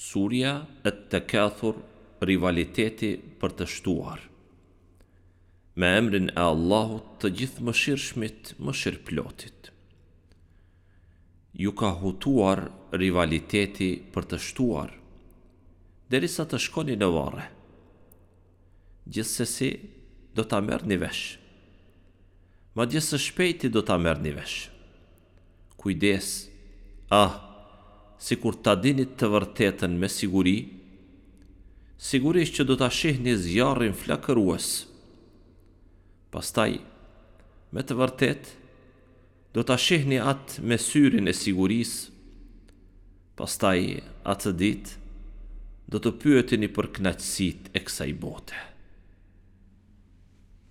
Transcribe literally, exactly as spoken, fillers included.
Surja Et-Tekathur Rivaliteti për të shtuar. Me emrin e Allahut të Gjithëmëshirshmit Mëshirëplotit. Ju ka hutuar rivaliteti për të shtuar, derisa të shkoni në varre. Gjithsesi do ta merrni vesh. Madje së shpejti do ta merrni vesh. Kujdes, ah, sikur ta dinit të vërtetën me siguri, sigurisht që do ta shihni zjarrin flakërues. Pastaj, me të vërtetë, do ta shihni atë me syrin e sigurisë. Pastaj, atë ditë, do të pyeteni për kënaqësitë e kësaj bote.